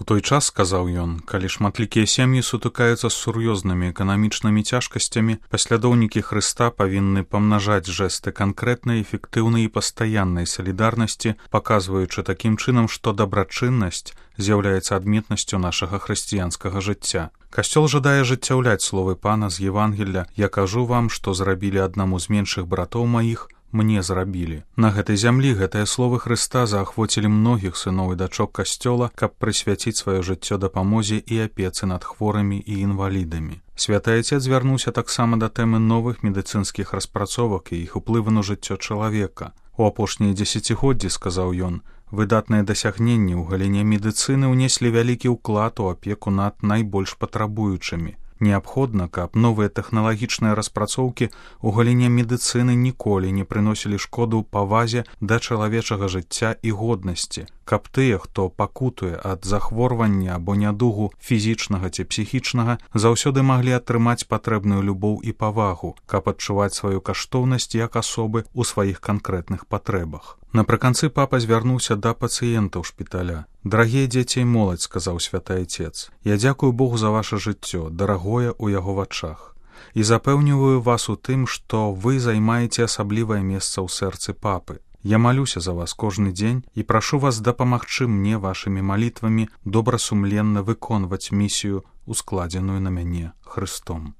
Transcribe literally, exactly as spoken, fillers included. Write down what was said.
той час, сказаў ён, калі шматлікія сем'і сутыкаюцца з сур'ёзнымі эканамічнымі цяжкасцямі, паслядоўнікі Хрыста павінны памнажаць жэсты канкрэтнай, эфектыўнай і пастаяннай салідарнасці, паказваючы такім чынам, што дабрачыннасць з'яўляецца адметнасцю нашага хрысціянскага жыцця. Касцёл жадае жыццяўляць словы Пана з Евангелля: «Я кажу вам, што зрабілі аднаму з меншых братоў маіх, мне зрабілі». На гэтай зямлі гэтыя словы Хрыста заахвоцілі многіх сыноў і дачок касцёла, каб прысвяціць сваё жыццё дапамозе і апецы над хворымі і інвалідамі. Святы Айцец звярнуўся таксама да тэмы новых медыцынскіх распрацовак і іх уплыву на жыццё чалавека. У апошнія дзесяцігоддзі, сказаў ён, выдатныя дасягненні ў галіне медыцыны ўнеслі вялікі ўклад у апеку над найбольш патрабуючымі. Неабходна, каб новыя тэхналагічныя распрацоўкі ў галіне медыцыны ніколі не прыносілі шкоду павазе да чалавечага жыцця і годнасці, каб тыя, хто пакутуе ад захворвання або нядугу фізічнага ці псіхічнага, заўсёды маглі атрымаць патрэбную любоў і павагу, каб адчуваць сваю каштоўнасць як асобы ў сваіх канкрэтных патрэбах. Напрыканцы папа звярнуўся да пацыентаў шпіталя. «Дарагія дзеці і моладзь», — сказаў святы Айцец, «я дзякую Богу за ваша жыццё, дарагое ў яго вачах, і запэўніваю вас у тым, што вы займаеце асаблівае месца ў сэрцы папы. Я малюся за вас кожны дзень і прашу вас дапамагчы мне вашымі малітвамі добрасумленна выконваць місію, ускладзеную на мяне Хрыстом».